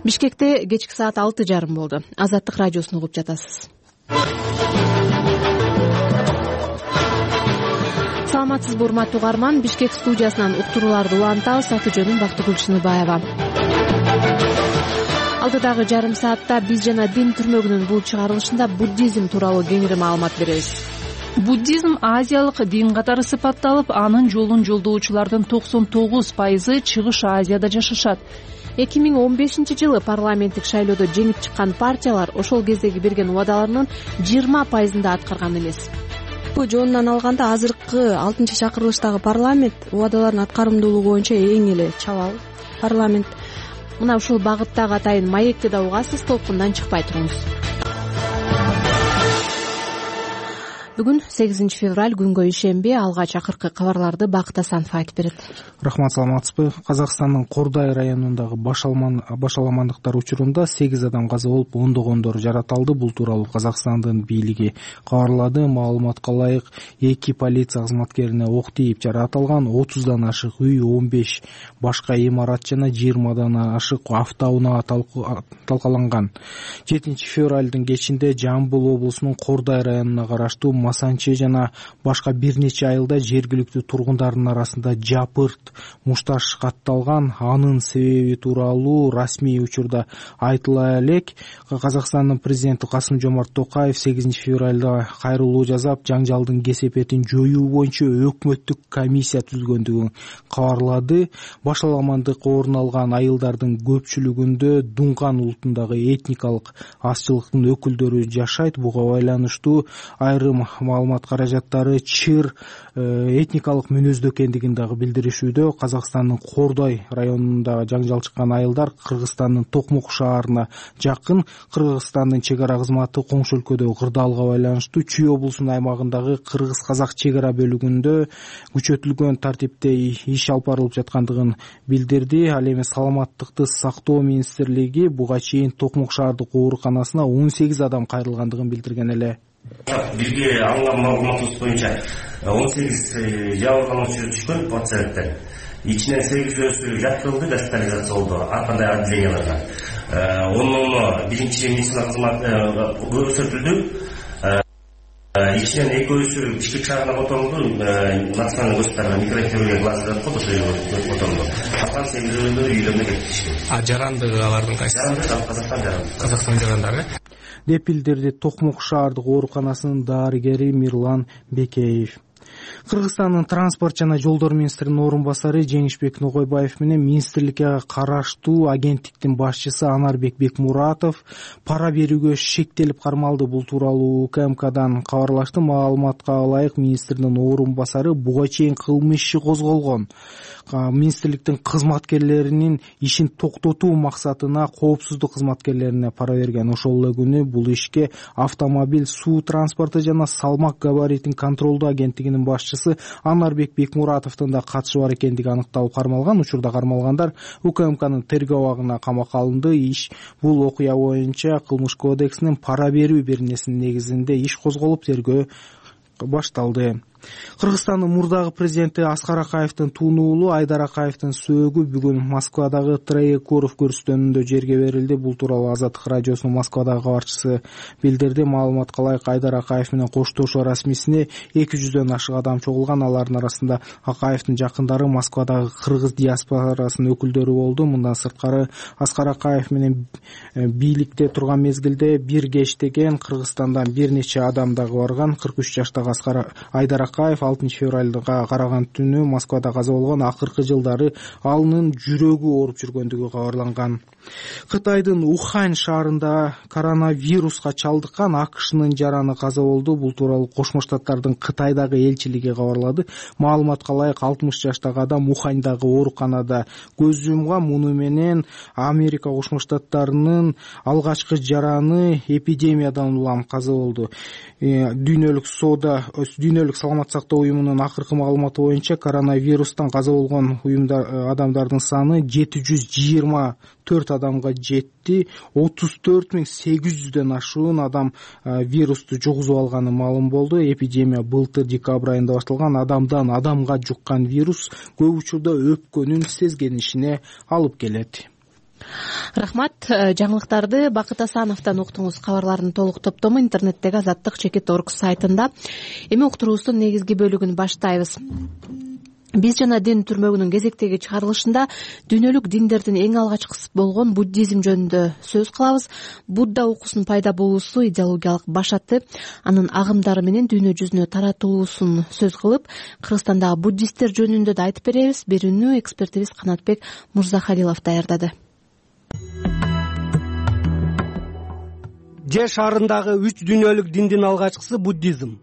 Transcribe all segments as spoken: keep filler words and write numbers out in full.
Бишкекте кечки саат алты жарым болду. Азаттык радиосун угуп жатасыз. Саламатсызбы урматтуу угарман, Бишкек студиясынан уктурууларды улантабыз. Аты жөнүм Бактыгүл Чыныбаева. Алдыдагы жарым саатта биз жана дин түрмөгүнүн бул чыгарылышында буддизм тууралуу кеңири маалымат беребиз. Буддизм азиялык дин катары сыпатталып, анын жолун жолдоочулардын токсон тогуз пайызы Чыгыш Азияда жашашат. эки миң он бешинчи жылы парламенттик шайлоодо жеңип чыккан партиялар ошол кездеги берген убадаларынын жыйырма пайызын да аткарган эмес. Жонунан алганда азыркы алтынчы чакырылыштагы парламент убадалардын аткарымдуулугу боюнча эң эле чабал парламент. Мына ушул багыттагы атайын маекти да угасыз, толкундан чыкпай туруңуз. Бүгүн сегизинчи февраль, күнгө ишемби. Алгач акыркы кабарларды Бакыт Асанов айтып берет. Рахмат, саламатсызбы? Казакстандын Кордай районундагы башаламандыктар учурунда сегиз адам каза болуп, ондогондору жаратылды. Бул тууралуу Казакстандын бийлиги кабарлады. Маалыматка ылайык, эки полиция кызматкерине ок тийип жаратылган, отуздан ашык үй, он беш башка имарат жана жыйырмадан ашык автоунаа талкаланган. жетинчи февралдын кечинде Жамбыл облусунун Кордай районуна караштуу Масанчы жана башка бир нече айылда жергиликтүү тургундардын арасында жапырт мушташ катталган. Анын себеби тууралуу расмий учурда айтыла элек. Казакстандын президенти Касым-Жомарт Токаев сегизинчи февралда кайрылуу жасап, жаңжалдын кесепетин жоюу боюнча өкмөттүк комиссия түзүлгөндүгүн кабарлады. Башаламандык орун алган айылдардын көпчүлүгүндө Дунган улутундагы этникалык азчылыктын өкүлдөрү жашайт. Буга байланыштуу айрым маалымат каражаттары чыр этникалык мүнөздө экендигин дагы билдиришүүдө. Казакстандын Кордай районунда жаңжал чыккан айылдар Кыргызстандын Токмок шаарына жакын. Кыргызстандын чек ара кызматы коңшу өлкөдөгү кырдаалга байланыштуу Чүй облусунун аймагындагы кыргыз-казак чек ара бөлүгүндө күчөтүлгөн тартипте иш алып барылып жаткандыгын билдирди. Ал эми саламаттыкты сактоо министрлиги буга чейин Токмок шаардык ооруканасына он сегиз адам кайрылгандыгын билдирген эле. Бизге алынган маалыматыбыз боюнча он сегиз жабыркануучу түшкөн пациенттер. Ичинен сегизөөсү жаткырылды, госпитализация болду. Ар кандай отделенияларга. Онун биринчи медицина кызматы көрсөтүлдү. Ичинен экөөсү Бишкек шаарына которулду. Националдык госпиталга микрохирургия классына которулду. Калган сегизөөнү үйлөрүнө кетишти. А жарандыгы алардын кайсы? Казакстан жаранды. Казакстан жарандары деп билдирди Токмок шаардык ооруканасынын дарыгери Мирлан Бекеев. Кыргызстандын транспорт жана жолдор министринин орун басары Жеңишбек Ногойбаев менен министрликке караштуу агенттиктин башчысы Анарбек Бекмуратов пара берүүгө шектелип кармалды. Бул тууралуу У К М Кдан кабарлашты. Маалыматка ылайык, министрдин орун басары буга чейин кылмыш иши козголгон. Министрликтин кызматкерлеринин ишин токтотуу максатына коопсуздук кызматкерлерине пара берген. Ошол эле күнү бул ишке автомобиль, суу транспорту жана салмак габаритин контролдоо агенттигинин башчысы Анарбек Бекмуратовдун да катышы бар экендиги аныкталып кармалган. Учурда кармалгандар У К М Кнын тергөө абагына камакка алынды. Иш бул окуя боюнча Кылмыш кодексинин пара берүү беренесинин негизинде иш козголуп, тергөө башталды. Кыргызстандын мурдагы президенти Аскар Акаевдин тууну уулу Айдар Акаевдин сөөгү бүгүн Москвадагы Троекуров көрүстөнүндө жерге берилди. Бул тууралуу Азаттык радиосунун Москвадагы кабарчысы билдирди. Маалыматка ылайык, Айдар Акаев менен коштошуу расмисине эки жүздөн ашык адам чогулган. Алардын арасында Акаевдин жакындары, Москвадагы кыргыз диаспорасынын өкүлдөрү болду. Мындан сырткары Аскар Акаев менен бийликте турган мезгилде бир кеч деген Кыргызстандан бир нече адам дагы барган. кырк үч жаштагы Аскар Айдар Акаев алтынчы февралга караган түнү Москвада каза болгон. Акыркы жылдары алынын жүрөгү ооруп жүргөндүгү кабарланган. Кытайдын Ухань шаарында коронавируска чалдыккан А К Шнын жараны каза болду. Бул тууралуу Кошмо Штаттардын Кытайдагы элчилиги кабарлады. Маалыматка ылайык, алтымыш жаштагы адам Уханьдагы ооруканада көз жумган. Муну менен Америка Кошмо Штаттарынын алгачкы жараны эпидемиядан улам каза болду. Дүйнөлүк соода Дүйнөлүк саламат сактоо уюмунун акыркы маалыматы боюнча коронавирустан каза болгон уюмдар адамдардын саны жети жүз жыйырма төрт адамга жетти. отуз төрт миң сегиз жүздөн ашуун адам вирусту жугузуп алганы маалым болду. Эпидемия былтыр декабрь айында башталган. Адамдан адамга жуккан вирус көп учурда өпкөнүн сезгенишине алып келет. рахмат. Жаңылыктарды Бакыт Асановдон уктуңуз. Кабарлардын толук топтому интернеттеги азаттык чекит точка орг сайтында. Эми уктуруубуздун негизги бөлүгүн баштайбыз. Биз жана дин түрмөгүнүн кезектеги чыгарылышында дүйнөлүк диндердин эң алгачкысы болгон буддизм жөнүндө сөз кылабыз. Будда окуусунун пайда болуусу, идеологиялык башаты, анын агымдары менен дүйнө жүзүнө таратылуусун сөз кылып, Кыргызстандагы буддисттер жөнүндө да айтып беребиз. Берүүнү экспертибиз Канатбек Мурзахалилов даярдады. Жер шарындагы үч дүйнөлүк диндин алгачкысы буддизм.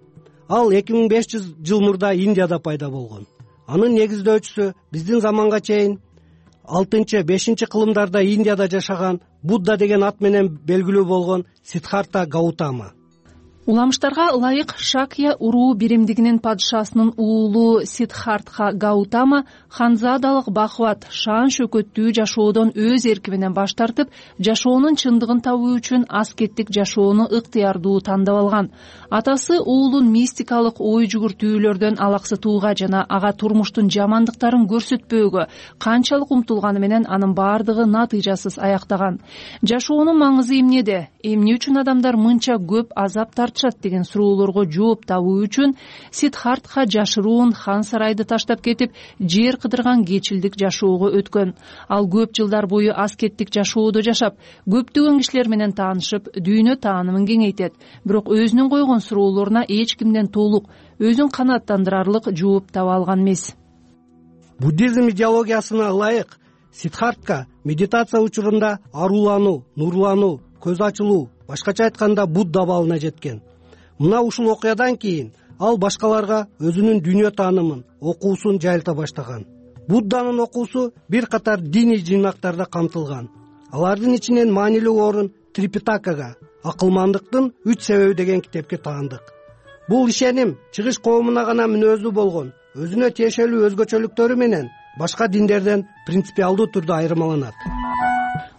Ал эки миң беш жүз жыл мурда Индияда пайда болгон. Анын негиздөөчүсү биздин заманга чейин алтынчы бешинчи кылымдарда Индияда жашаган Будда деген ат менен белгилүү болгон Сиддхартха Гаутама. Уламыштарга ылайык Шакья уруу биримдигинин падышасынын уулу Сиддхартха Гаутама ханзадалык бакубат, шаан шөкөттүү жашоодон өз эрки менен баш тартып, жашоонун чындыгын табуу үчүн аскеттик жашоону ыктыярдуу тандап алган. Атасы уулун мистикалык ой жүгүртүүлөрдөн алаксытууга жана ага турмуштун жамандыктарын көрсөтпөөгө канчалык умтулганы менен анын баардыгы натыйжасыз аяктаган. Жашоонун маңызы эмнеде? Эмне үчүн адамдар мынча көп азап тартышат деген суроолорго жооп табуу үчүн Сиддхартха жашыруун хан сарайды таштап кетип, жер кыдырган кечилдик жашоого өткөн. Ал көп жылдар бою аскеттик жашоодо жашап, көптөгөн кишилер менен таанышып, дүйнө таанымын кеңейтет. Бирок өзүнүн койгон суроолоруна эч кимден толук, өзүн канааттандырарлык жооп таба алган эмес. Буддизм идеологиясына ылайык Сиддхартха медитация учурунда арулануу, нурлануу, көз ачылуу, башкача айтканда Будда абалына жеткен. Мына ушул окуядан кийин ал башкаларга өзүнүн дүйнө таанымын, окуусун жайылта баштаган. Будданын окуусу бир катар диний жыйнактарда камтылган. Алардын ичинен маанилүү орун Трипитакага, акылмандыктын үч себеби деген китепке таандык. Бул ишеним чыгыш коомуна гана мүнөздүү болгон, өзүнө тиешелүү өзгөчөлүктөрү менен башка диндерден принципиалдуу түрдө айырмаланат.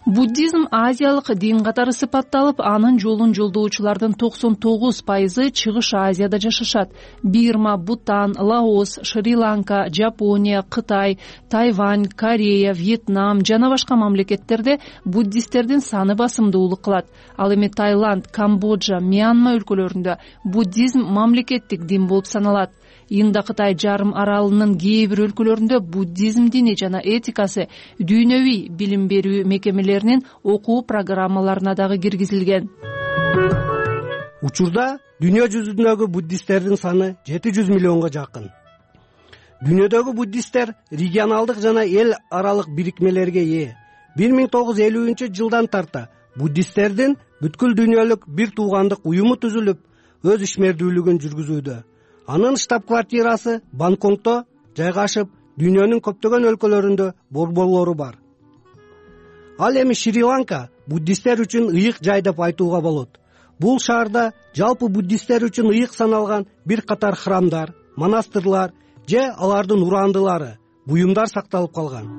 Буддизм азиялык дин катары сыпатталып, анын жолун жолдоочулардын токсон тогуз пайызы Чыгыш Азияда жашашат. Бирма, Бутан, Лаос, Шри-Ланка, Жапония, Кытай, Тайвань, Корея, Вьетнам жана башка мамлекеттерде буддисттердин саны басымдуулук кылат. Ал эми Таиланд, Камбоджа, Мьянма өлкөлөрүндө буддизм мамлекеттик дин болуп саналат. Инда Кытай жарым аралынын кээ бир өлкөлөрүндө буддизм дини жана этикасы дүйнөвүй билим берүү мекемелеринин окуу программаларына дагы киргизилген. Учурда дүйнө жүзүндөгү буддисттердин саны жети жүз миллионго жакын. Дүйнөдөгү буддисттер регионалдык жана эл аралык бирикмелерге ээ. бир миң тогуз жүз элүүнчү жылдан тарта буддисттердин бүткүл дүйнөлүк бир туугандык уюму түзүлүп, өз ишмердүүлүгүн жүргүзүүдө. Анын штаб-квартирасы Бангкокто жайгашып, дүйнөнүн көптөгөн өлкөлөрүндө борборлору бар. Ал эми Шри-Ланка буддисттер үчүн ыйык жай деп айтууга болот. Бул шаарда жалпы буддисттер үчүн ыйык саналган бир катар храмдар, монастырлар же алардын урандылары, буюмдар сакталып калган.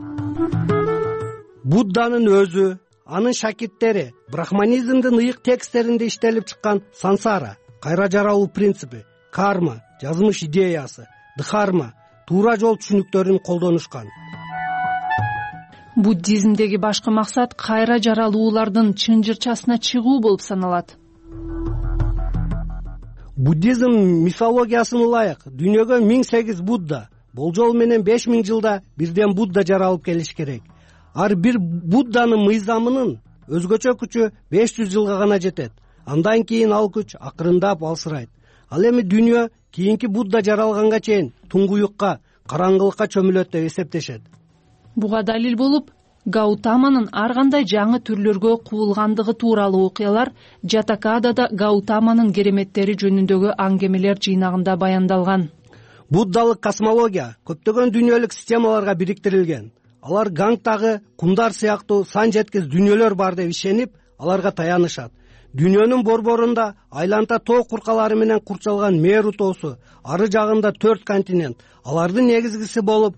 Будданын өзү, анын шакирттери брахманизмдин ыйык тексттеринде иштелип чыккан сансара, кайра жаралуу принципи, карма, жазмыш идеясы, дхарма, туура жол түшүнүктөрүн колдонушкан. Буддизмдеги башкы максат кайра жаралуулардын чынжырчасына чыгуу болуп саналат. Буддизм мифологиясына ылайык дүйнөгө миң сегиз Будда, болжол менен беш миң жылда бирден Будда жаралып келиш керек. Ар бир Будданын мыйзамынын өзгөчө күчү беш жүз жылга гана жетет. Андан кийин ал күч акырындап алсырайт. Ал эми дүйнө кийинки Будда жаралганга чейин туңгуюкка, караңгылыкка чөмүлөт деп эсептешет. Буга далил болуп, Гаутаманын ар кандай жаңы түрлөргө куулгандыгы тууралуу окуялар Жатакадада Гаутаманын кереметтери жөнүндөгү аңгемелер жыйнагында баяндалган. Буддалык космология көптөгөн дүйнөлүк системаларга бириктирилген. Алар Гангтагы кумдар сыяктуу сан жеткис дүйнөлөр бар деп ишенип, аларга таянышат. Дүйнөнүн борборунда айланта тоо куркалары менен курчалган Меру тоосу, ары жагында төрт континент, алардын негизгиси болуп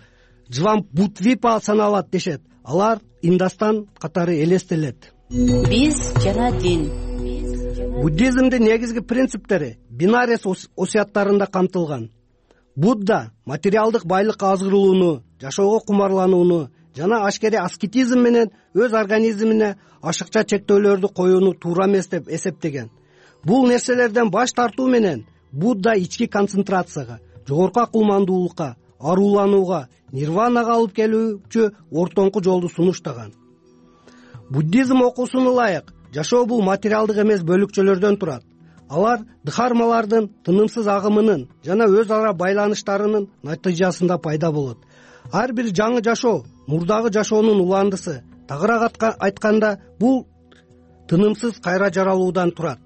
Джвамбутвипа саналат дешет. Алар Индастан катары элестелет. Биз жана дин. Буддизмдин негизги принциптери Бинарес осуяттарында камтылган. Будда материалдык байлыкка азгырылууну, жашоого кумарланууну жана ашкере аскетизм менен өз организмине ашыкча чектөөлөрдү коюуну туура эмес деп эсептеген. Бул нерселерден баш тартуу менен Будда ички концентрацияга, жогорку акылмандуулукка, арууланууга, нирванага алып келүүчү ортоңку жолду сунуштаган. Буддизм окуусуна ылайык жашоо бул материалдык эмес бөлүкчөлөрдөн турат. Алар дхармалардын тынымсыз агымынын жана өз ара байланыштарынын натыйжасында пайда болот. Ар бир жаңы жашоо мурдагы жашоонун уландысы. Тагыраак айтканда, бул тынымсыз кайра жаралуудан турат.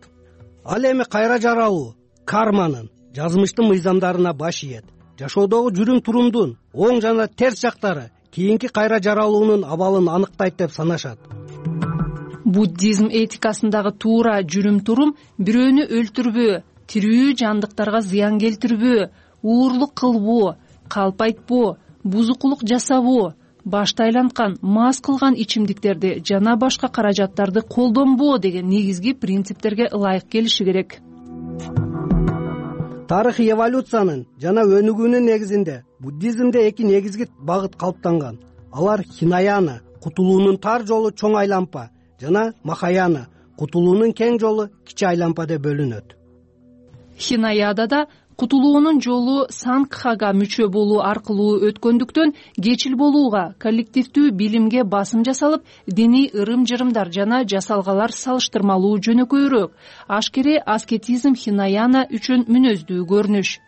Ал эми кайра жаралуу карманын, жазмыштын мыйзамдарына баш ийет. Жашоодогу жүрүм-турумдун оң жана терс жактары кийинки кайра жаралуунун абалын аныктайт деп санашат. Буддизм этикасындагы туура жүрүм-турум бирөөнү өлтүрбөө, тирүү жандыктарга зыян келтирбөө, уурлук кылбоо, калп айтпоо, бузукулук жасабоо, башты айланткан, мас кылган ичимдиктерди жана башка каражаттарды колдонбоо деген негизги принциптерге ылайык келиши керек. Тарыхый эволюциянын жана өнүгүүнүн негизинде буддизмде эки негизги багыт калыптанган. Алар Хинаяна, кутулуунун тар жолу чоң айлампа, жана Махаяна, кутулуунун кең жолу кичи айлампа деп бөлүнөт. Хинаядада кутулуунун жолу сангхага мүчө болуу аркылуу өткөндүктөн кечил болууга, коллективдүү билимге басым жасалып, диний ырым-жырымдар жана жасалгалар салыштырмалуу жөнөкөйрөөк. Ашкере аскетизм Хинаяна үчүн мүнөздүү көрүнүш.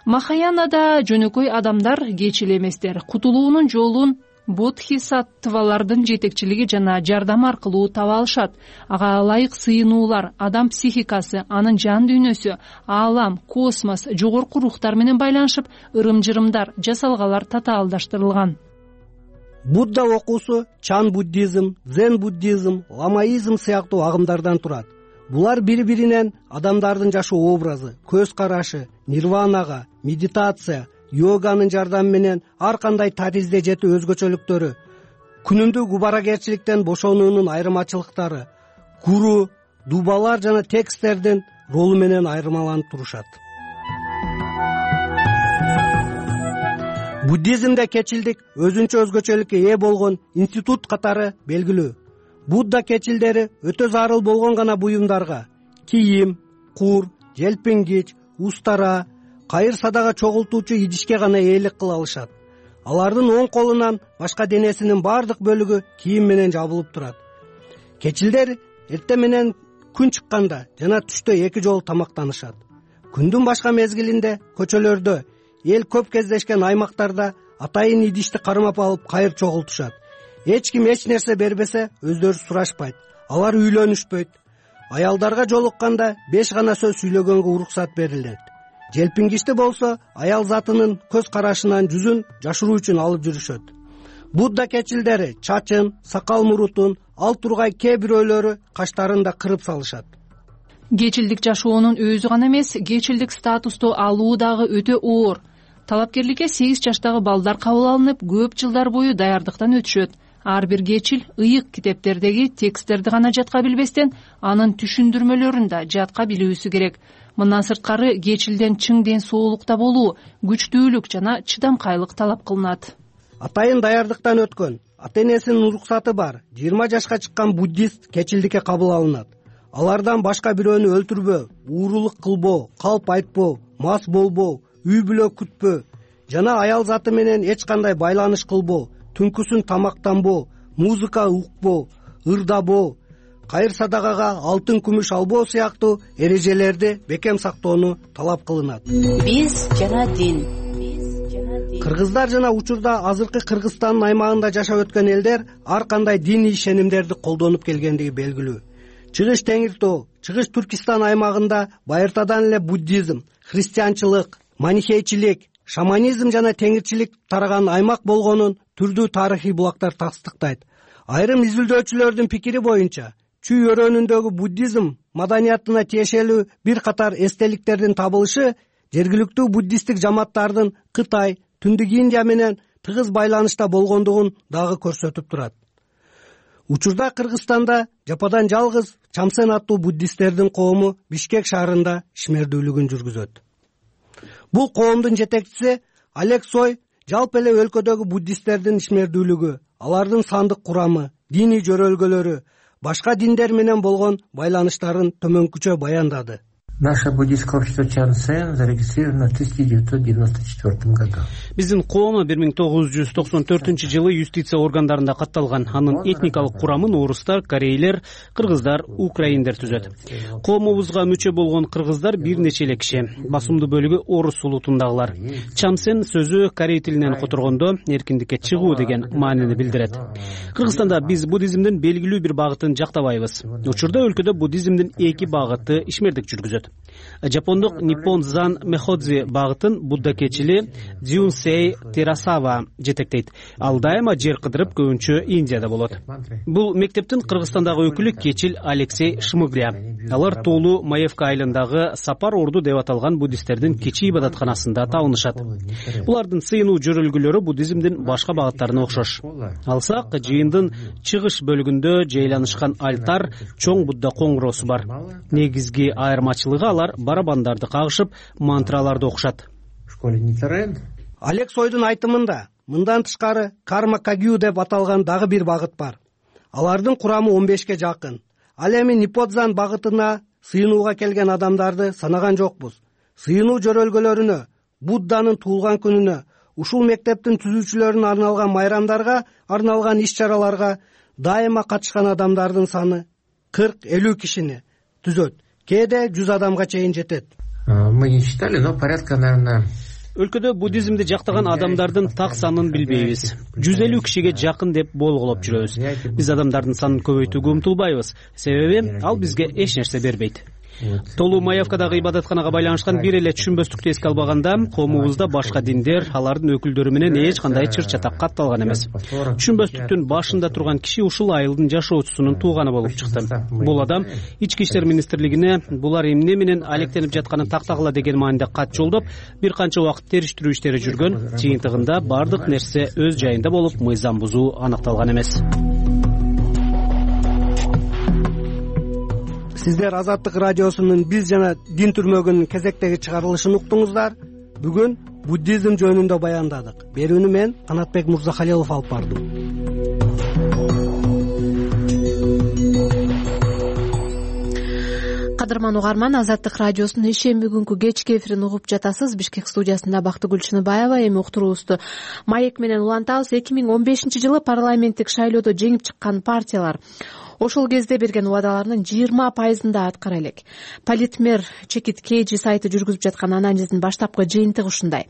Махаянада жөнөкөй адамдар кечил эместер, кутулуунун жолун бодхисаттвалардын жетекчилиги жана жардам аркылуу таба алышат. Ага ылайык сыйынуулар, адам психикасы, анын жан дүйнөсү, аалам, космос, жогорку рухтар менен байланышып, ырым-жырымдар, жасалгалар татаалдаштырылган. Будда окуусу чан буддизм, зен буддизм, ламаизм сыяктуу агымдардан турат. Булар бири-биринен адамдардын жашоо образы, көз карашы, нирванага, медитация, йоганын жардамы менен ар кандай таризде жетүү өзгөчөлүктөрү, күнүмдүк убаракерчиликтен бошонуунун айырмачылыктары, гуру, дубалар жана тексттердин ролу менен айырмаланып турушат. Буддизмде кечилдик өзүнчө өзгөчөлүккө ээ болгон институт катары белгилүү. Будда кечилдери өтө зарыл болгон гана буюмдарга, кийим, кур, желпингич, устара, кайыр садага чогултуучу идишке гана ээлик кыла алышат. Алардын оң колунан башка денесинин бардык бөлүгү кийим менен жабылып турат. Кечилдер эртең менен күн чыкканда жана түштө эки жолу тамактанышат. Күндүн башка мезгилинде көчөлөрдө, эл көп кездешкен аймактарда атайын идишти кармап алып кайыр чогултушат. Эч ким эч нерсе бербесе өздөрү сурашпайт. Алар үйлөнүшпөйт. Аялдарга жолукканда беш гана сөз сүйлөгөнгө уруксат берилет. Желпингичти болсо аял затынын көз карашынан жүзүн жашыруу үчүн алып жүрүшөт. Будда кечилдери чачын, сакал мурутун, ал тургай кээ бирөөлөрү каштарын да кырып салышат. Кечилдик жашоонун өзү гана эмес, кечилдик статусту алуу дагы өтө оор. Талапкерликке сегиз жаштагы балдар кабыл алынып, көп жылдар бою даярдыктан өтүшөт. Ар бир кечил ыйык китептердеги тексттерди гана жатка билбестен, анын түшүндүрмөлөрүн да жатка билүүсү керек. Мындан сырткары кечилден чың ден соолукта болуу, күчтүүлүк жана чыдамкайлык талап кылынат. Атайын даярдыктан өткөн, ата-энесинин уруксаты бар жыйырма жашка чыккан буддист кечилдикке кабыл алынат. Алардан башка бирөөнү өлтүрбөө, уурулук кылбоо, калп айтпоо, мас болбоо, үй бүлө күтпөө жана аял заты менен эч кандай байланыш кылбоо, түнкүсүн тамактанбоо, музыка укпоо, ырдабоо, кайыр садагага алтын күмүш албоо сыяктуу эрежелерди бекем сактоону талап кылынат. Биз жана дин. Кыргыздар жана учурда азыркы Кыргызстандын аймагында жашап өткөн элдер ар кандай диний ишенимдерди колдонуп келгендиги белгилүү. Чыгыш Теңир Тоо, Чыгыш Түркистан аймагында байыртадан эле буддизм, христианчылык, манихейчилик, шаманизм жана теңирчилик тараган аймак болгонун түрдүү тарыхый булактар тастыктайт. Айрым изилдөөчүлөрдүн пикири боюнча, Чүй өрөөнүндөгү буддизм маданиятына тиешелүү бир катар эстеликтердин табылышы жергиликтүү буддисттик жамааттардын Кытай, Түндүк Индия менен тыгыз байланышта болгондугун дагы көрсөтүп турат. Учурда Кыргызстанда жападан жалгыз Чамсен аттуу буддисттердин коому Бишкек шаарында ишмердүүлүгүн жүргүзөт. Бул коомдун жетекчиси Олег Сой жалпы эле өлкөдөгү буддисттердин ишмердүүлүгү, алардын сандык курамы, диний жөрөлгөлөрү, башка диндер менен болгон байланыштарын төмөнкүчө баяндады. Наше буддийское общество Чансен зарегистрировано в тысяча девятьсот девяносто четвёртом году. Биздин коом бир миң тогуз жүз токсон төртүнчү жылы юстиция органдарында катталган. Анын этникалык курамын орустар, корейлер, кыргыздар, украиндер түзөт. Коомубузга мүчө болгон кыргыздар бир нече эле киши. Басымдуу бөлүгү орус улутундагылар. Чамсен сөзү корей тилинен которгондо эркиндикке чыгуу деген маанини билдирет. Кыргызстанда биз буддизмдин белгилүү бир багытын жактабайбыз. Учурда өлкөдө буддизмдин эки багыты ишмердик жүргүзөт. Жапондук Ниппон Зан Мэходзи багытын буддакечили Дзюнсей Терасава жетектейт. Ал дайыма жер кыдырып көбүнчө Индияда болот. Бул мектептин Кыргызстандагы өкүлү Кечил Алексей Шмыгря. Алар Тулу Маевка айылындагы Сапар орду деп аталган буддисттердин кечи ибадатканасында табынышат. Булардын сыйынуу жөрөлгөлөрү буддизмдин башка багыттарына окшош. Алсак, жыйындын чыгыш бөлүгүндө жайланышкан альтар чоң Будда коңгуроосу бар. Негизги айырмачылыгы алар барабандарды кагышып, мантраларды окушат. Алекс Ойдун айтымында мындан тышкары карма кагю деп аталган дагы бир багыт бар. Алардын курамы он бешке жакын. Ал эми Нипподзан багытына сыйынууга келген адамдарды санаган жокпуз. Сыйынуу жөрөлгөлөрүнө, Будданын туулган күнүнө, ушул мектептин түзүүчүлөрүнө арналган майрамдарга, арналган иш-чараларга дайыма катышкан адамдардын саны кырк элүү кишини түзөт. Кээде жүз адамга чейин жетет. Мы не считали, но порядка, наверное... Өлкөдө буддизмди жактаган адамдардын так санын билбейбиз. жүз элүү кишиге жакын деп болголоп жүрөбүз. Биз адамдардын санын көбөйтүүгө умтулбайбыз. Себеби ал бизге эч нерсе бербейт. Толу Маевкадагы ибадатканага байланышкан бир эле түшүнбөстүктү эске албаганда, коомубузда башка диндер, алардын өкүлдөрү менен эч кандай чыр-чатак катталган эмес. Түшүнбөстүктүн башында турган киши ушул айылдын жашоочусунун тууганы болуп чыкты. Бул адам Ички иштер министрлигине булар эмне менен алектенип жатканын тактагыла деген маанидә кат жолдоп, бир канча убакыт териштирүү иштери жүргөн. Жыйынтыгында бардык нерсе өз жайында болуп, мыйзам бузуу аныкталган эмес. Сиздер Азаттык радиосунун биз жана дин түрмөгүнүн кезектеги чыгарылышын уктуңуздар. Бүгүн буддизм жөнүндө баяндадык. Берүүнү мен Канатбек Мурзахалилов алып бардым. Кадырман угарман, Азаттык радиосунун ишемби күнкү кечки эфирин угуп жатасыз. Бишкек студиясында Бактыгүл Чыныбаева. Эми уктуруубузду маек менен улантабыз. эки миң он бешинчи жылы парламенттик шайлоодо жеңип чыккан партиялар ошол кезде берген убадаларынын жыйырма пайызында аткара элек. Политмер Чекит Кейджи сайты жүргүзүп жаткан анализдин баштапкы жыйынтыгы ушундай.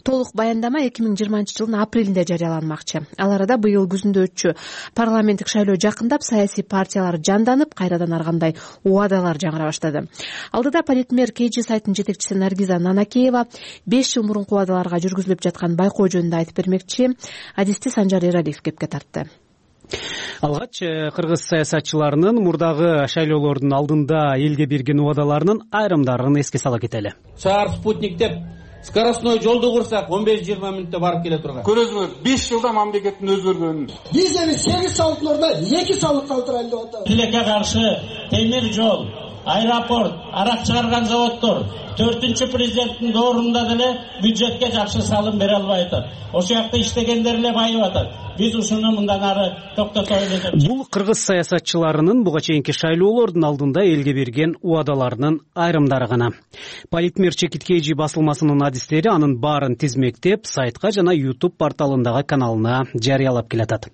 Толук баяндама эки миң жыйырманчы жылдын апрелинде жарыяланмакчы. Ал арада быйыл күзүндө өтчү парламенттик шайлоо жакындап, саясий партиялар жанданып, кайрадан ар кандай убадалар жаңыра баштады. Алдыда Политмер Кейджи сайтынын жетекчиси Наргиза Нанакеева беш жыл мурунку убадаларга жүргүзүлүп жаткан байкоо жөнүндө айтып бермекчи. Адисти Санжар Эралиев кепке тартты. Алгач кыргыз саясатчыларынын мурдагы шайлоолордун алдында элге берген убадаларынын айрымдарын эске сала кетели. Шаар спутник деп скоростной жолду курсак он беш жыйырма мүнөттө барып келе турган. Көрөсүңөр, беш жылда мамлекеттин өзгөргөнүн. Биз эми сегиз салыктын ордуна эки салык калтырайлы деп атабыз. Тилекке каршы темир жол, аэропорт, арак чыгарган заводдор төртүнчү президенттин доорунда деле бюджетке жакшы салым бере албай атат. Ошол жакта иштегендер эле байып атат. Биз ушуну мындан ары токтотобуз деп. Бул кыргыз саясатчыларынын буга чейинки шайлоолордун алдында элге берген убадаларынын айрымдары гана. Политмер Чекит Кейджи басылмасынын адистери анын баарын тизмектеп, сайтка жана YouTube порталындагы каналына жарыялап келатат.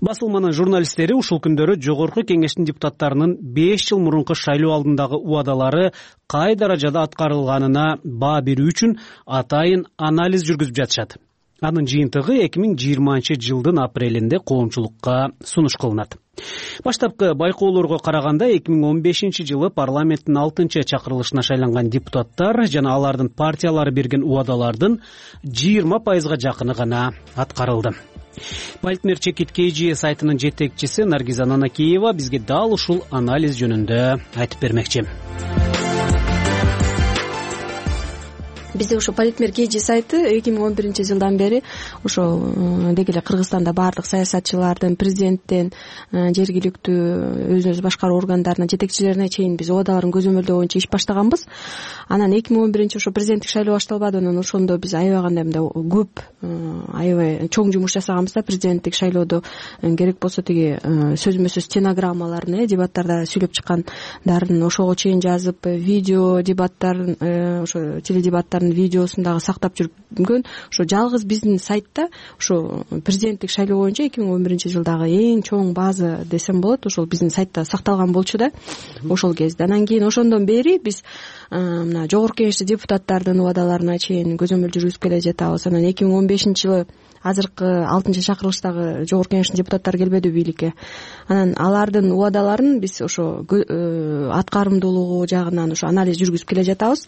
Басылманын журналисттери ушул күндөрү жогорку кеңештин депутаттарынын беш жыл мурунку шайлоо алдындагы убадалары кай даражада аткарылганына баа берүү үчүн атайын анализ жүргүзүп жатышат. Анын жыйынтыгы эки миң жыйырманчы жылдын апрелинде коомчулукка сунуш кылынат. Баштапкы байкоолорго караганда эки миң он бешинчи жылы парламенттин алтынчы чакырылышына шайланган депутаттар жана алардын партиялары берген убадалардын жыйырма пайызга жакыны гана аткарылды. Политмер Чекит Кейджи сайтынын жетекчиси Наргиза Нанакеева бизге дал ушул анализ жөнүндө айтып бермекчи. бизде ошо политмер kg сайты эки миң он биринчи жылдан бери ошо деги эле Кыргызстанда баардык саясатчылардын, президенттен жергиликтүү өзүн өзү башкаруу органдарынын жетекчилерине чейин биз убадаларын көзөмөлдөө боюнча иш баштаганбыз. Анан эки миң он биринчи ошо президенттик шайлоо башталбады, анан ошондо биз аябагандай мындай көп аябай чоң жумуш жасаганбыз да. Президенттик шайлоодо керек болсо тиги сөзмө сөз стенограммаларын, дебаттарда сүйлөп чыккандарын ошого чейин жазып, видео дебаттарын, ошо теледебаттардын видеосун дагы сактап жүргөн ошо жалгыз биздин сайтта ошо президенттик шайлоо боюнча эки миң он биринчи жылдагы эң чоң база десем болот, ошол биздин сайтта сакталган болчу да ошол кезде. Анан кийин ошондон бери биз мына жогорку кеңештин депутаттардын убадаларына чейин көзөмөл жүргүзүп келе жатабыз. Анан эки миң он бешинчи жылы азыркы алтынчы чакырылыштагы жогорку кеңештин депутаттары келбеди бийликке. Анан алардын убадаларын биз ошо аткарымдуулугу жагынан ошо анализ жүргүзүп келе жатабыз.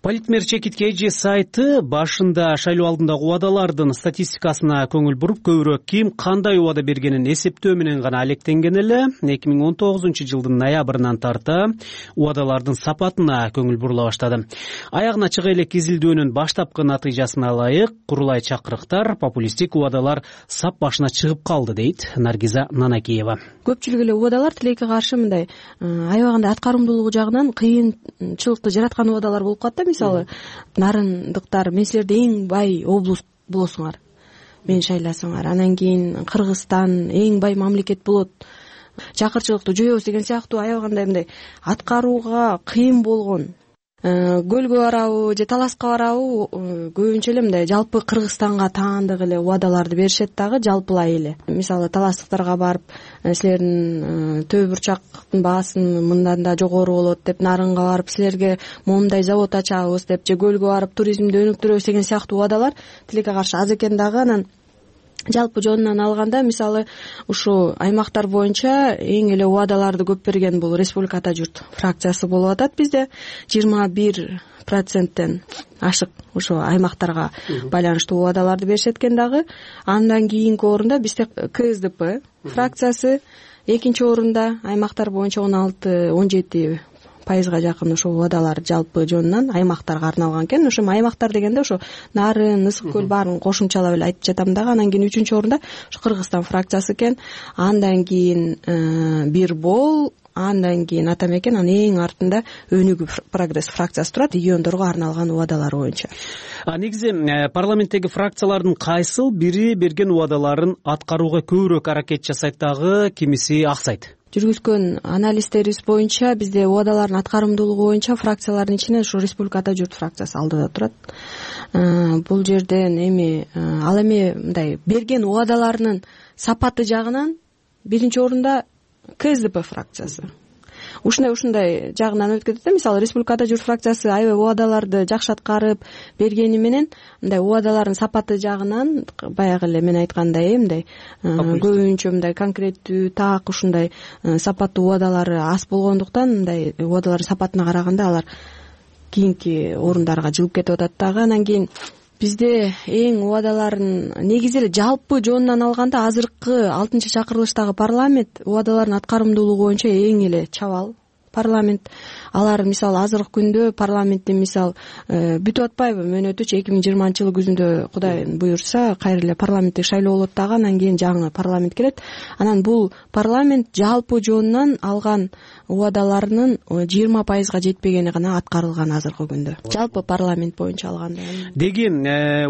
Политмер чекит kg сайты башында шайлоо алдындагы убадалардын статистикасына көңүл буруп, көбүрөөк ким кандай убада бергенин эсептөө менен гана алектенген эле. эки миң он тогузунчу жылдын ноябрынан тарта убадалардын сапатына көңүл бурула баштады. Аягына чыга элек изилдөөнүн баштапкы натыйжасына ылайык курулай чакырыктар, популисттик убадалар сап башына чыгып калды, дейт Наргиза Нанакиева. Көпчүлүк эле убадалар тилекке каршы мындай аябагандай аткарымдуулугу жагынан кыйынчылыкты жараткан убадалар болуп калат да. Мисалы, нарындыктар, мен силерди эң бай облус болосуңар, мени шайласаңар, анан кийин Кыргызстан эң бай мамлекет болот, чакырчылыкты жоебуз деген сыяктуу аябагандай мындай аткарууга кыйын болгон, көлгө барабы же таласка барабы көбүнчө эле мындай жалпы Кыргызстанга таандык эле убадаларды беришет дагы, жалпылай эле. Мисалы, таластыктарга барып, силердин төө бурчактын баасын мындан да жогору болот деп, нарынга барып силерге моундай завод ачабыз деп, же көлгө барып туризмди өнүктүрөбүз деген сыяктуу убадалар тилекке каршы аз экен дагы. Анан жалпы жонунан алганда, мисалы, ушул аймактар боюнча эң эле убадаларды көп берген бул Республика Ата журт фракциясы болуп атат. Бизде жыйырма бир проценттен ашык ошо аймактарга байланыштуу убадаларды беришет экен дагы. Андан кийинки орунда бизде КСДП фракциясы, экинчи орунда аймактар боюнча он алты он жети пайызга жакын ошо убадалар жалпы жонунан аймактарга арналган экен. Ошо аймактар дегенде ошо Нарын, Ысык көл баарын кошумчалап эле айтып жатам дагы. Анан кийин үчүнчү орунда ошо Кыргызстан фракциясы экен. Андан кийин Бир Бол, андан кийин Ата Мекен, анан эң артында Өнүгүү Прогресс фракциясы турат, региондорго арналган убадалар боюнча. А негизи парламенттеги фракциялардын кайсыл бири берген убадаларын аткарууга көбүрөөк аракет жасайт дагы, кимиси аксайт? Жүргүзгөн анализтерибиз боюнча бизде убадалардын аткарымдуулугу боюнча фракциялардын ичинен ушу Республика Ата журт фракциясы алдыда турат. Бул жерден эми ал эми мындай берген убадаларынын сапаты жагынан биринчи орунда КСДП фракциясы. Ушундай ушундай жагынан өтүп кетет да. Мисалы, Республика Ата журт фракциясы аябай убадаларды жакшы аткарып бергени менен мындай убадалардын сапаты жагынан баягы эле мен айткандай мындай көбүнчө мындай конкреттүү, так ушундай сапаттуу убадалары аз болгондуктан мындай убадалардын сапатына караганда алар кийинки орундарга жылып кетип атат дагы. Анан кийин бизде эң убадаларын негизи эле жалпы жонунан алганда азыркы алтынчы чакырылыштагы парламент убадалардын аткарымдуулугу боюнча эң эле чабал парламент. Алар мисалы азыркы күндө парламенттин мисалы бүтүп атпайбы, мөөнөтүчү эки миң жыйырманчы жылы күзүндө Кудай буюрса кайра эле парламенттик шайлоо болот дагы, анан кийин жаңы парламент келет. Анан бул парламент жалпы жонунан алган убадаларынын жыйырма пайызга жетпегени гана аткарылган азыркы күндө, жалпы парламент боюнча алганда. Деги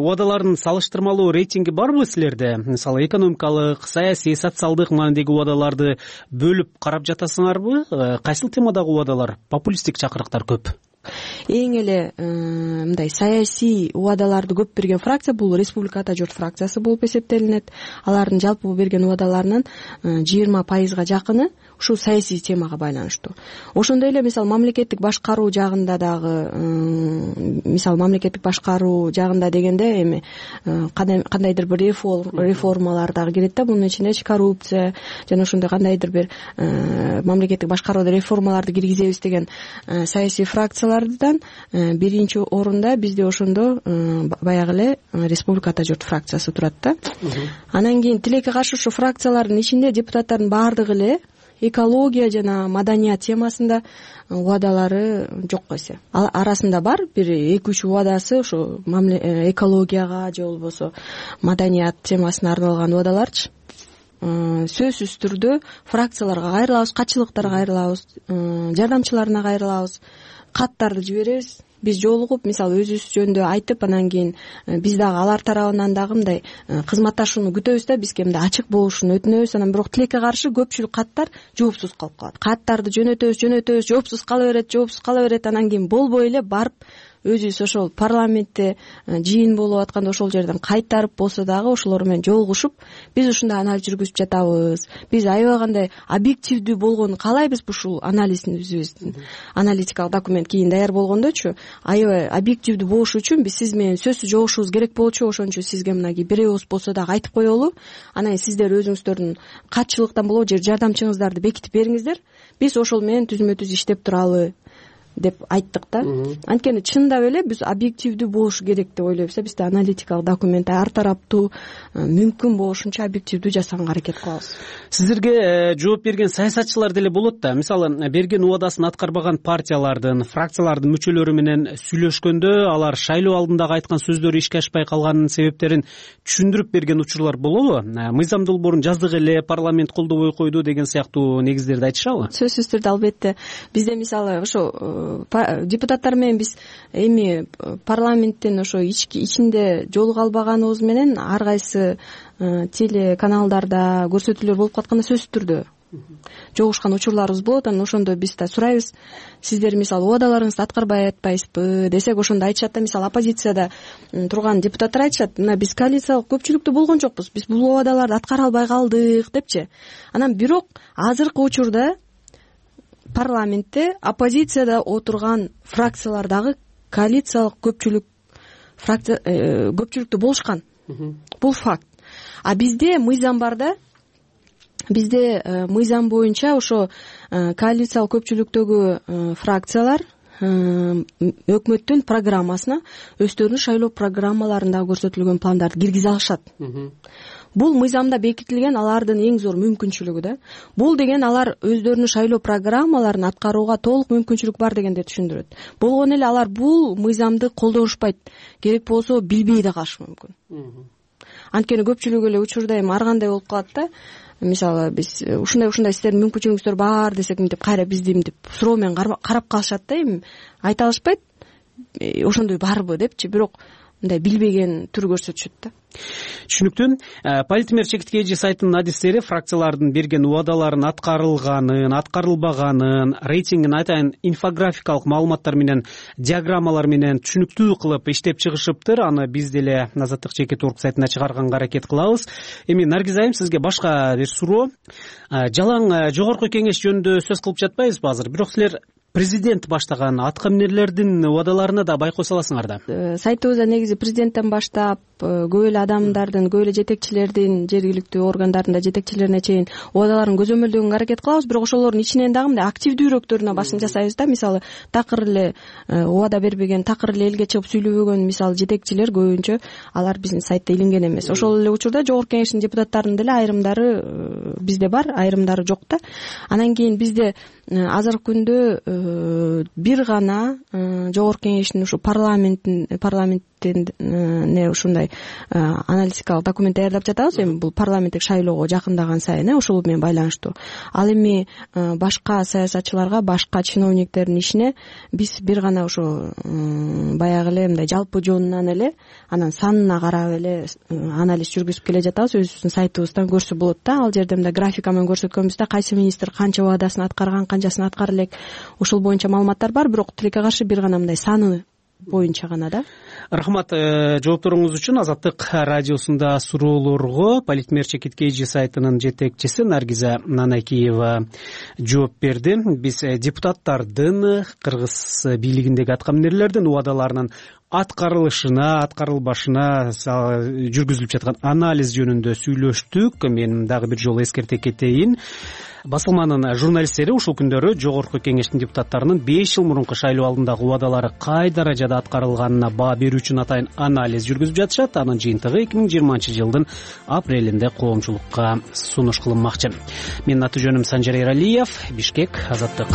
убадалардын салыштырмалуу рейтинги барбы силерде? Мисалы, экономикалык, саясий, социалдык маанидеги убадаларды бөлүп карап жатасыңарбы? Кайсыл темадагы убадалар, популисттик чакырыктар көп? Эң эле мындай саясий убадаларды көп берген фракция бул Республика Ата журт фракциясы болуп эсептелинет. Алардын жалпы берген убадаларынын жыйырма пайызга жакыны ушул саясий темага байланыштуу. Ошондой эле мисалы мамлекеттик башкаруу жагында дагы, мисалы мамлекеттик башкаруу жагында дегенде эми кандайдыр бир реформалар дагы кирет да, мунун ичинде коррупция жана ошондой кандайдыр бир мамлекеттик башкарууда реформаларды киргизебиз деген саясий фракциялардан биринчи орунда бизде ошондо баягы эле Республика Ата журт фракциясы турат да. Анан кийин тилекке каршы ушу фракциялардын ичинде депутаттардын баардыгы эле экология жана маданият темасында убадалары жок эсе. Ал арасында бар бир эки үч убадасы ошо экологияга же болбосо маданият темасына арналган убадаларчы. Сөзсүз түрдө фракцияларга кайрылабыз, катчылыктарга кайрылабыз, жардамчыларына кайрылабыз, каттарды жиберебиз. Биз жолугуп, мисалы өзүбүз жөнүндө айтып, анан кийин биз дагы алар тарабынан дагы мындай кызматташууну күтөбүз да, бизге мындай ачык болушун өтүнөбүз. Анан бирок тилекке каршы көпчүлүк каттар жоопсуз калып калат. Каттарды жөнөтөбүз, жөнөтөбүз, жоопсуз кала берет, жоопсуз кала берет. Анан кийин болбой эле барып өзүбүз ошол парламентте жыйын болуп атканда ошол жерден кайтарып болсо дагы ошолор менен жолугушуп, биз ушундай анализ жүргүзүп жатабыз, биз аябай кандай объективдүү болгонун каалайбыз ушул анализибиздин. Аналитикалык документ кийин даяр болгондочу аябай объективдүү болуш үчүн биз сиз менен сөзсүз жолугушубуз керек болчу. Ошон үчүн сизге мынагей бир ооз болсо дагы айтып коелу. Анан сиздер өзүңүздөрдүн катчылыктан болобу же жардамчыңыздарды бекитип бериңиздер, биз ошол менен түзмө түз иштеп туралы деп айттык да. Анткени чындап эле биз объективдүү болуш керек деп ойлойбуз. Бизде аналитикалык документ ар тараптуу, мүмкүн болушунча объективдүү жасаганга аракет кылабыз. Сиздерге жооп берген саясатчылар деле болот да. Мисалы, берген убадасын аткарбаган партиялардын, фракциялардын мүчөлөрү менен сүйлөшкөндө алар шайлоо алдындагы айткан сөздөрү ишке ашпай калганынын себептерин түшүндүрүп берген учурлар болобу? Мыйзам долбоорун жаздык эле, парламент колдобой койду деген сыяктуу негиздерди айтышабы? Сөзсүз түрдө албетте. Бизде мисалы ошо депутаттар менен биз эми парламенттин ошо ичинде жолуга албаганыбыз менен ар кайсы телеканалдарда көрсөтүүлөр болуп катканда сөзсүз түрдө жолугушкан учурларыбыз болот. Анан ошондо биз да сурайбыз, сиздер мисалы убадаларыңызды аткарбай атпайсызбы десек, ошондо айтышат да, мисалы оппозицияда турган депутаттар айтышат, мына биз коалициялык көпчүлүктүү болгон жокпуз, биз бул убадаларды аткара албай калдык депчи. Анан бирок азыркы учурда парламентте оппозицияда отурган фракциялардагы коалициялык көпчүлүк фракция көпчүлүктүү болушкан. Бул факт. А бизде мыйзам бар да. Бизде мыйзам боюнча ошо коалициялык көпчүлүктөгү фракциялар өкмөттүн программасына өздөрүнүн шайлоо программаларында көрсөтүлгөн пландарды киргизе алышат. Бул мыйзамда бекитилген алардын эң зор мүмкүнчүлүгү да. Бул деген алар өздөрүнүн шайлоо программаларын аткарууга толук мүмкүнчүлүк бар дегенди түшүндүрөт. Болгону эле алар бул мыйзамды колдонушпайт. Керек болсо билбей да калышы мүмкүн. Анткени көпчүлүк эле учурда эми ар кандай болуп калат да. Мисалы биз ушундай ушундай сиздердин мүмкүнчүлүгүңүздөр бар десек, мынтип кайра бизди мынтип суроо менен карап калышат да, эми айта алышпайт. Ошондой барбы депчи, бирок мындай билбеген түр көрсөтүшөт да. Түшүнүктүү. Политмер чекитке эже сайтынын адистери фракциялардын берген убадаларын аткарылганын, аткарылбаганын, рейтингин айтайын инфографикалык маалыматтар менен, диаграммалар менен түшүнүктүү кылып иштеп чыгышыптыр. Аны биз деле Азаттык чекит орг сайтына чыгарганга аракет кылабыз. Эми Наргиз айым, сизге башка бир суроо. Жалаң жогорку кеңеш жөнүндө сөз кылып жатпайбызбы азыр? Бирок силер президент баштаган атка минерлердин убадаларына да байкоо саласыңар да. Сайтыбызда негизи президенттен баштап көп эле адамдардын, көп эле жетекчилердин, жергиликтүү органдардын да жетекчилерине чейин убадаларын көзөмөлдөгөнгө аракет кылабыз. Бирок ошолордун ичинен дагы мындай активдүүрөөктөрүнө башын жасайбыз да. Мисалы, такыр эле убада бербеген, такыр эле элге чыгып сүйлөбөгөн мисалы жетекчилер көбүнчө алар биздин сайтта илинген эмес. Ошол эле учурда жогорку кеңештин депутаттарынын деле айрымдары бизде бар, айрымдары жок да. Анан кийин бизде азыркы күндө бир гана жогорку кеңештин ушу парламенттин парламенттине ушундай аналитикалык документ даярдап жатабыз. Эми бул парламенттик шайлоого жакындаган сайын ошол менен байланыштуу. Ал эми башка саясатчыларга, башка чиновниктердин ишине биз бир гана ошо баягы эле мындай жалпы жонунан эле анан санына карап эле анализ жүргүзүп келе жатабыз. Өзүбүздүн сайтыбыздан көрсө болот да. Ал жерде мындай графика менен көрсөткөнбүз да, кайсы министр канча убадасын аткарган, канчасын аткара элек, ошол боюнча маалыматтар бар. Бирок тилекке каршы бир гана мындай саны боюнча гана да. Рахмат жоопторуңуз үчүн. Азаттык радиосунда суроолорго Политмер чекитке эже сайтынын жетекчиси Наргиза Нанакиева жооп берди. Биз депутаттардын, кыргыз бийлигиндеги атка минерлердин убадаларынын аткарылышына, аткарылбашына жүргүзүлүп жаткан анализ жөнүндө сүйлөштүк. Мен дагы бир жолу эскерте кетейин. басылманын журналисттери ушул күндөрү жогорку кеңештин депутаттарынын беш жыл мурунку шайлоо алдындагы убадалары кай даражада аткарылганына баа берүү үчүн атайын анализ жүргүзүп жатышат. Анын жыйынтыгы эки миң жыйырманчы жылдын апрелинде коомчулукка сунуш кылынмакчы. Менин аты жөнүм Санжар Эралиев, Бишкек, Азаттык.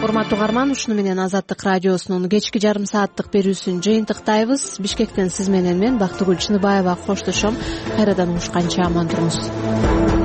Урматтуу угарман, ушуну менен Азаттык радиосунун кечки жарым сааттык берүүсүн жыйынтыктайбыз. Бишкектен сиз менен мен Бактыгүл Чыныбаева коштошом. Кайрадан угушканча аман туруңуз.